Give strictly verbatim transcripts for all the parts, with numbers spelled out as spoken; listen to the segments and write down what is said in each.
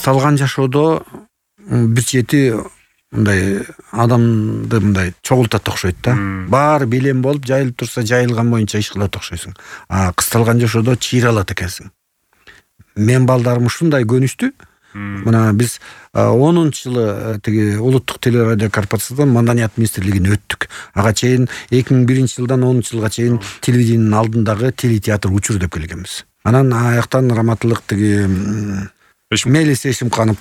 кысталган жашоодо бир чети мындай адамды мындай чогултат окшойт да. Баары белем болуп жайылып турса, жайылган боюнча иш кылат окшойсуң. А кысталган жашоодо чыйралат экенсиң. Мен балдарым ушундай көнүштү. Мына биз онунчу жылы тиги улуттук телерадио корпорациядан маданият министрлигине өттүк. Ага чейин эки миң биринчи жылдан онунчу жылга чейин телевидениянын алдындагы телетеатр учур деп келгенбиз. Анан аяктан раматылык тиги Мелис Эшимканов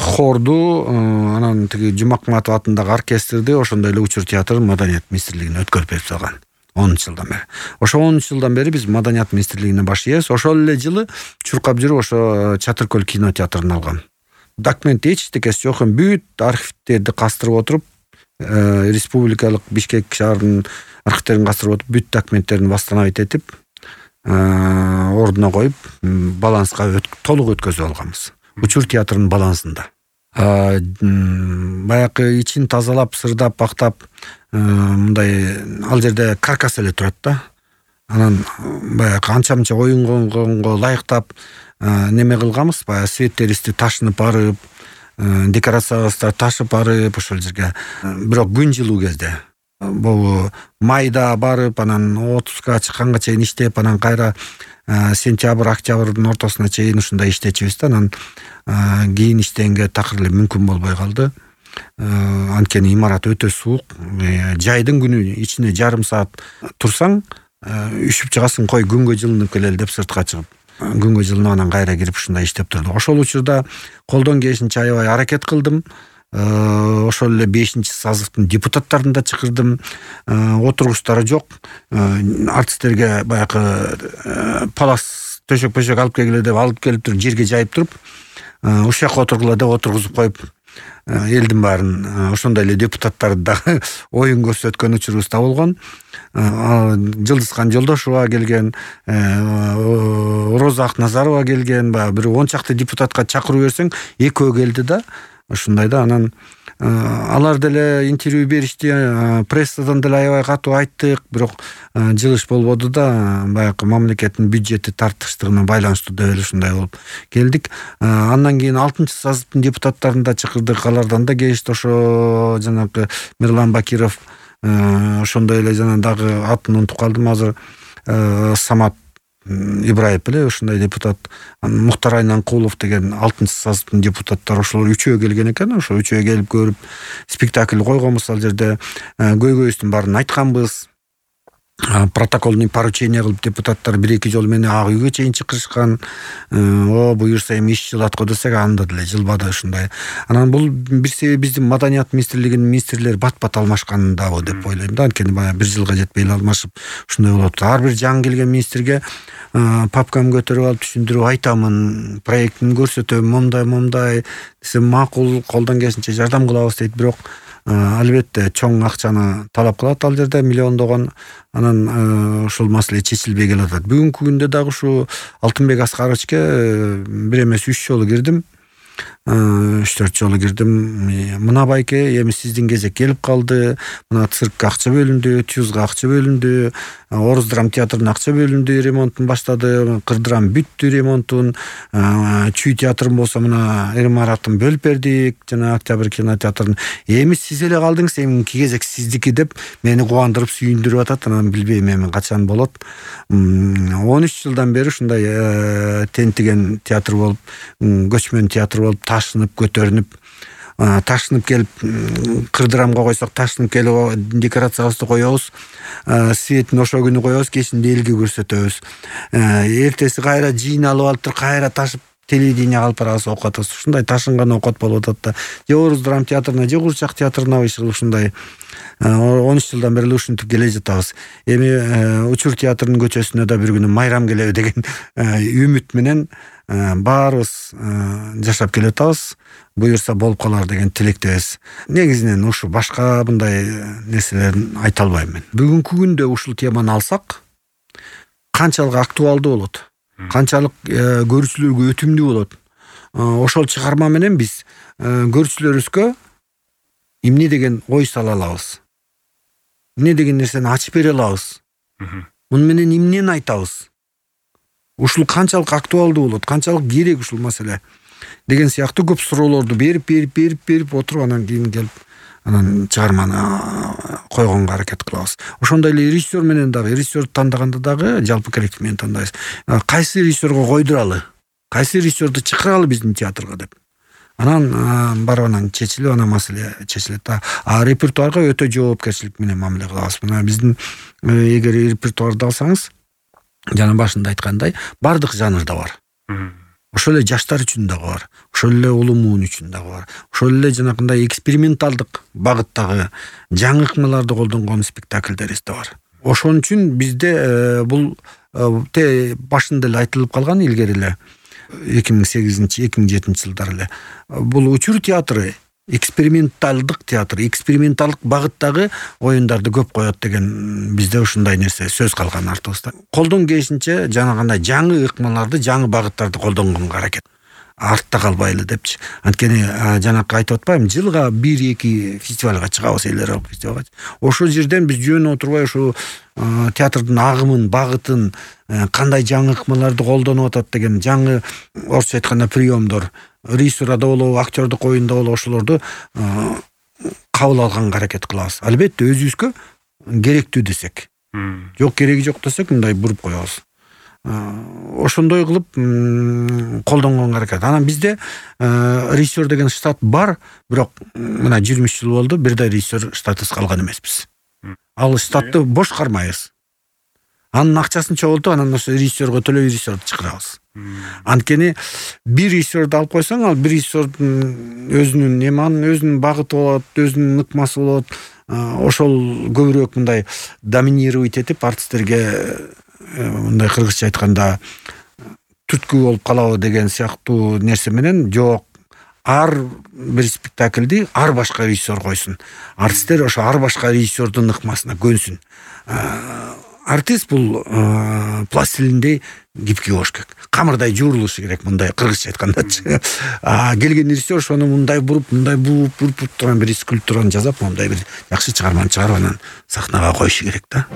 хорду, анан тиги Жумакматов атындагы оркестрди ошондой эле учур театр маданият министрлигине өткөрүп берип салган. онунчу жылдан бери. Ошо онунчу жылдан бери биз маданият министрлигине баш ийебиз. Ошол эле жылы чуркап жүрүп ошо Чатыркөл кинотеатрын алгам. Документ эчтекеси жок, бүт архивтерди кастырып отуруп, республикалык Бишкек шаарынын архивтерин кастырып отуруп, бүт документтерин восстановить этип, ордуна коюп, баланска толук өткөзүп алганбыз. Учур театрынын балансында. Баягы ичин тазалап, сырдап, бактап, мындай ал жерде каркас эле турат да. Анан баягы анча-мынча оюнгонго ылайыктап неме кылганбыз, баягы светтеристи ташынып барып, декорациябызды ташып барып ошол жерге. Бирок күн жылуу кезде бул майда барып, анан отузга чыкканга чейин иштеп, анан кайра сентябрь, октябрдын ортосуна чейин ушундай иштечүбүз да. Анан кийин иштегенге такыр эле мүмкүн болбой калды. Анткени имарат өтө суук. Жайдын күнү ичине жарым саат турсаң, үшүп чыгасың, кой күнгө жылынып келели деп сыртка чыгып. Күнгө жылынып анан кайра кирип ушундай иштеп турдук. Ошол учурда колдон келишинче аябай аракет кылдым. Ошол эле бешинчи сазывдын депутаттарын да чакырдым. Отургучтары жок. Артисттерге баягы палас төшөк-пөшөк алып келгиле деп алып келип туруп, жерге жайып туруп, ушак отургула деп отургузуп коюп, элдин баарын ошондой эле депутаттарды дагы оюн көрсөткөн учурубуз да болгон. Жылдызхан Жолдошова келген, Роза Акназарова келген, баягы бир он чакты депутатка чакыруу берсең, экөө келди да. Ушундай да. Анан алар деле интервью беришти, прессадан деле аябай катуу айттык, бирок жылыш болбоду да. Баягы мамлекеттин бюджети тартыштыгына байланыштуу деп эле ушундай болуп келдик. Андан кийин алтынчы сазывдын депутаттарын да чакырдык, алардан да келишти. Ошо жанагы Мирлан Бакиров, ошондой эле жана дагы атын унутуп калдым азыр, Самат Ибраев эле ушундай депутат, Мухтар Айнанкулов деген алтынчы сазывдын депутаттары, ошолор үчөө келген экен. Ошо үчөө келип көрүп, спектакль койгонбуз ал жерде. Көйгөйүбүздүн баарын айтканбыз. Протокольный поручение кылып депутаттар бир-эки жолу мени ак үйгө чейин чакырышкан. О, буюрса эми иш жылат го десек, анда деле жылбады ушундай. Анан бул бир себеби биздин маданият министрлигинин министрлери бат-бат алмашкандабы деп ойлойм да. Анткени баягы бир жылга жетпей эле алмашып ушундай болот. Ар бир жаңы келген министрге папкамды көтөрүп алып түшүндүрүп айтамын, проектин көрсөтөм, момдай момдай десем, макул, колдон келишинче жардам кылабыз дейт. Бирок албетте чоң акчаны талап кылат ал жерде, миллиондогон. Анан ушул маселе чечилбей келатат. Бүгүнкү күндө дагы ушу Алтынбек Аскаровичке бир эмес үч жолу кирдим. үч төрт жолу кирдим. Мына байке, эми сиздин кезек келип калды. Мына циркке акча бөлүндү, Тюзга акча бөлүндү, Орус драм театрына акча бөлүндү, ремонтун баштады. Кырдрам бүттү ремонтун. Чүй театрын болсо мына имаратын бөлүп бердик, жана Октябрь кинотеатрын. Эми сиз эле калдыңыз, эмки кезек сиздики деп мени кубандырып, сүйүндүрүп атат. Анан билбейм эми качан болот. он үч жылдан бери ушундай тентиген театр болуп, көчмөн театр болуп, ташынып, көтөрүнүп, ташынып келип, кырдырамга койсок ташынып келип декорациябызды коебуз. Светин ошо күнү коебуз, кечинде элге көрсөтөбүз. Эртеси кайра жыйналып алып туруп, кайра ташып телевидение алып барабыз, окутабыз. Ушундай ташынган окот болуп атат да. Же Орус драм театрына, же Курчак театрына иши ушундай он үч жылдан бери ушинтип келе жатабыз. Эми Учур театрынын көчөсүнө да бир күнү майрам келеби деген үмүт менен баарыбыз жашап келе жатабыз. Буюрса болуп калар деген тилектебиз. Негизинен ушу башка мындай нерселерин айта албайм мен. Бүгүнкү күндө ушул теманы алсак, канчалык актуалдуу болот, канчалык көрүүчүлөргө өтүмдүү болот. Ошол чыгарма менен биз көрүүчүлөрүбүзгө эмне деген ой сала алабыз, эмне деген нерсени ачып бере алабыз, муну менен эмнени айтабыз, ушул канчалык актуалдуу болот, канчалык керек ушул маселе. деген сыяктуу көп суроолорду берип берип берип берип отуруп анан кийин келип анан чыгарманы койгонго аракет кылабыз. Ошондой эле режиссер менен дагы, режиссерди тандаганда дагы жалпы коллектив менен тандайбыз. Кайсы режиссерго койдуралы, кайсы режиссерди чакыралы биздин театрга деп. Анан барып анан чечилип, анан маселе чечилет. А репертуарга өтө жоопкерчилик менен мамиле кылабыз. Мына биздин эгер репертуарды алсаңыз, жана башында айткандай, бардык жанрда бар. Ошол эле жаштар үчүн дагы бар. Ошол эле улуу муун үчүн дагы бар. Ошол эле жанагындай эксперименталдык багыттагы жаңы ыкмаларды колдонгон спектакльдерибиз да бар. Ошон үчүн бизде бул те башында эле айтылып калган илгери эле эки миң сегизинчи эки миң жетинчи жылдары эле бул учур театры эксперименталдык театр, эксперименталдык багыттагы оюндарды көп коет деген бизде ушундай нерсе сөз калган артыбызда. Колдон келишинче жанагындай жаңы ыкмаларды, жаңы багыттарды колдонгонго аракет. Артта калбайлы депчи. Анткени жанакы айтып атпаймынбы, жылга бир эки фестивалга чыгабыз, эл аралык фестивалга. Ошол жерден биз жөн отурбай ушу театрдын агымын, багытын, кандай жаңы ыкмаларды колдонуп атат деген жаңы, орусча айтканда, приемдор, режиссурада болобу, актёрдук оюнда болобу, ошолорду кабыл алганга аракет кылабыз. Албетте өзүбүзгө керектүү десек. Жок, кереги жок десек, мындай буруп коебуз. Ошондой кылып колдонгонго аракет. Анан бизде режиссер деген штат бар, бирок мына жыйырма үч жыл болду, бирдей режиссер штатысыз калган эмеспиз. Ал штатты бош кармайбыз. Анын акчасын чогултуп, анан ошо режиссерге төлөп режиссерди чакырабыз. Анткени бир режиссерди алып койсоң, ал бир режиссердин өзүнүн эманын, өзүнүн багыты болот, өзүнүн ыкмасы болот. Ошол көбүрөөк мындай доминировать этип, артисттерге мындай кыргызча айтканда түрткү болуп калабы деген сыяктуу нерсе менен жок. Ар бир спектакльди ар башка режиссер койсун. Артисттер ошо ар башка режиссердин ыкмасына көнсүн. Артист бул пластилиндей гибкий болуш керек. Камырдай жуурулушу керек, мындай кыргызча айткандачы. А келген режиссер ошону мындай буруп, мындай буруп, буруп турган бир скульптураны жасап, мындай бир жакшы чыгарманы чыгарып анан сахнага коюшу керек да.